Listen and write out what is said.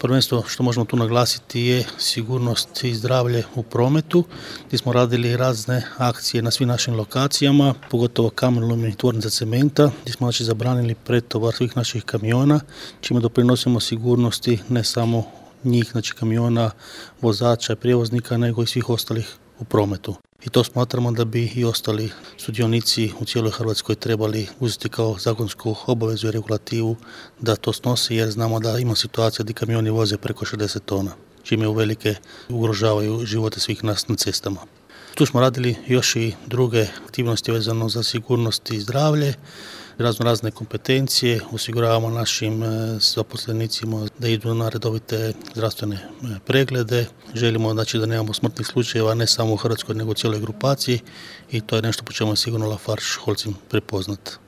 Prvenstvo što možemo tu naglasiti je sigurnost i zdravlje u prometu, gdje smo radili razne akcije na svim našim lokacijama, pogotovo kamenolom i tvornica cementa, gdje smo zabranili pretovar svih naših kamiona, čime doprinosimo sigurnosti ne samo njih, kamiona, vozača i prijevoznika, nego i svih ostalih u prometu. I to smatramo da bi i ostali sudionici u cijeloj Hrvatskoj trebali uzeti kao zakonsku obavezu i regulativu da to snose, jer znamo da ima situacija gdje kamioni voze preko 60 tona, čime uvelike ugrožavaju živote svih nas na cestama. Tu smo radili još i druge aktivnosti vezano za sigurnost i zdravlje, razne kompetencije, osiguravamo našim zaposlenicima da idu na redovite zdravstvene preglede. Želimo da nemamo smrtnih slučajeva ne samo u Hrvatskoj nego u cijeloj grupaciji i to je nešto po čemu je sigurno Lafarge Holcim prepoznat.